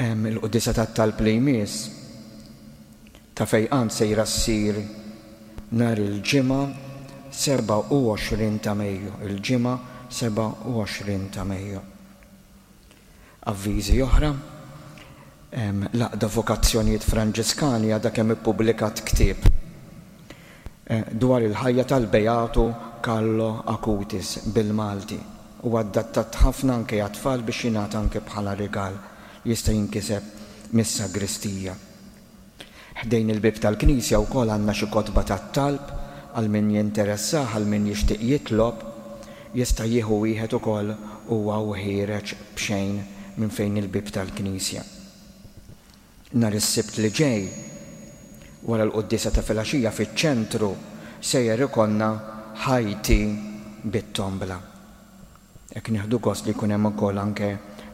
Il-quddiesa tat-talb li jmiss ta' fejqan sejra ssir nhar il-Ġimgħa 27 ta' Mejju, il-Ġimgħa 27 ta' Mejju. Avviżi oħra, L-Għaqda Vokazzjonijiet Franġiskani għadha kemm ippubblikat ktieb dwar il-ħajja tal-Beatu Carlo Acutis bil-Malti. Huwa adattat ħafna anke għat-tfal biex jingħata anke bħala rigal. Jista' jinkiseb mis-sagristija. Ħdejn il-bieb tal-knisja wkoll għandna xi kotba tat-talb għal min jinteressah, għal min jixtieq jitlob, jista' jieħu wieħed ukoll huwa u ħiereġ b'xejn minn fejn il-bieb tal-knisja. Nhar is-Sibt li ġej, wara l-quddiesa ta' filgħaxija fiċ-ċentru sejjer ikollna Ħajti bit-tombla. Hekk nieħdu gost li jkun hemm ukoll anke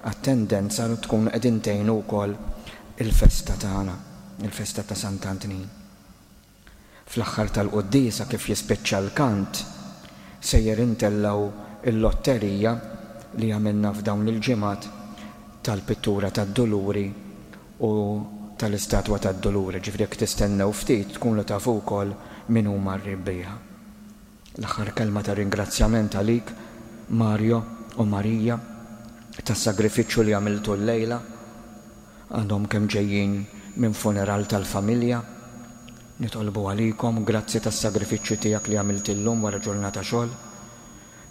attendenza u tkunu qegħdin tgħinu wkoll il-festa tagħna, il-festa ta' Sant'Antnin. Fl-aħħar tal-quddiesa kif jispiċċa l-kant, sejjer intellgħu l-lotterija li għamilna f'dawn il-ġimgħat tal-pittura tad-Duluri u tal-istatwa tad-Duluri, ġifieri jekk tistennew ftit tkunu tafu wkoll min huma r-rebbieħa. L-aħħar kelma ta' ringrazzjament għalik, Mario u Maria, tas-sagrifiċċju li għamiltu llejla. Għadhom kemm ġejjin minn funeral tal-familja. Nitolbu għalikom, grazzi tas-sagrifiċċju tiegħek li għamilt illum wara ġurnata xogħol.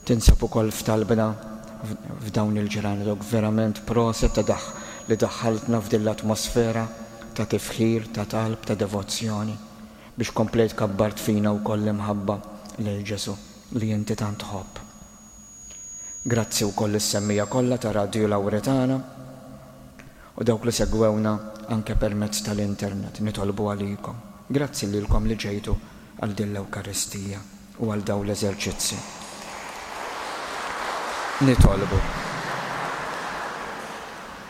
Tinsab ukoll f'talbna f'dawn il-ġranet u verament proset ta' daħ li daħħaltna f'din l-atmosfera ta' tifħir, ta' talb, ta' devozzjoni biex komplejt kabbart fina wkoll l-imħabba lejn Ġesù li inti tant tħobb. Grazzi wkoll lis-semmiegħa kollha ta' Radju Lawretana u dawk li segwewna anke permezz tal-internet. Nitolbu għalikom. Grazzi lilkom li ġejtu għal din l-Ewkaristija u għal dawn l-eżerċizzi. Nitolbu.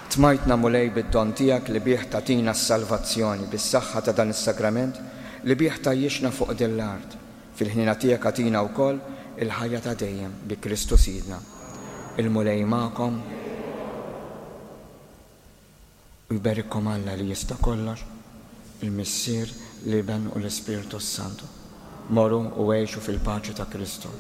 Tmajtna Mulej bid-don tiegħek li bih tagħtina s-salvazzjoni, bis-saħħa ta' dan is-sagrament li bih tgħajjixna fuq din l-art. Fil-ħniena tiegħek agħtina wkoll il-ħajja ta' dejjem, bi Kristu Sidna. Il-Mulej magħkom. U jberikkom Alla li jista' kollox, il-Missier, l-Iben u l-Ispirtu s-Santu. Morru u għixu fil-paċi ta' Kristu.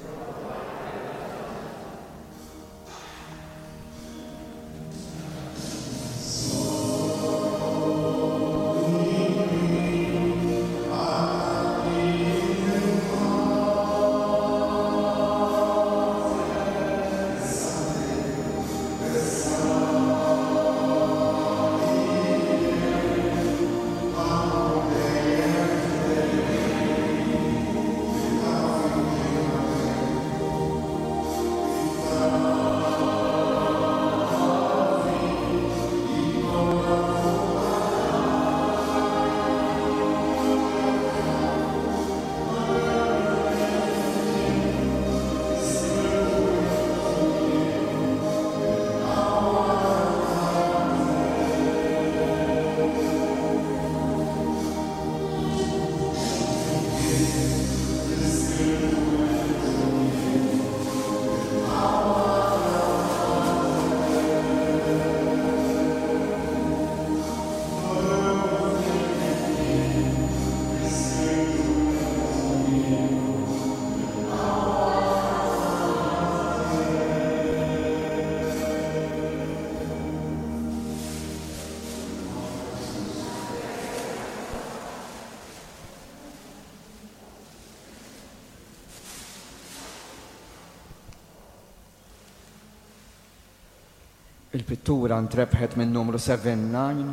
Il-pittura ntrebħet min-numru 79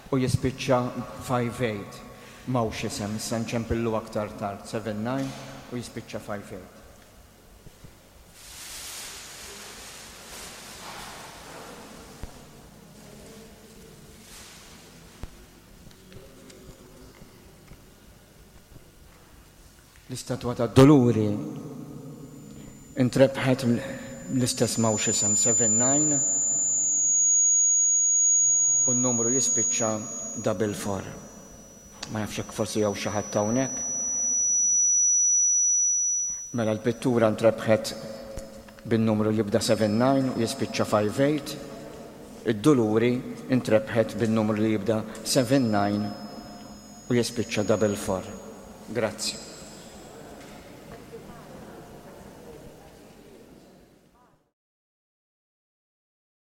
u jispiċċa 58. M'hawnx isem, issa nċempillu aktar tard, 79 u jispiċċa 58. L-istatwa tad-Duluri ntrebħet l-istess m'hawnx isem 79 u n-numru jispiċċa double four. Ma nafx jekk forsi hawn xi ħadd hawnhekk. Mela l-pittura ntrebħet bin-numru jibda 79 u jispiċċa 58. Id-Duluri ntrebħet bin-numru li jibda 79 u jispiċċa double four. Grazzi.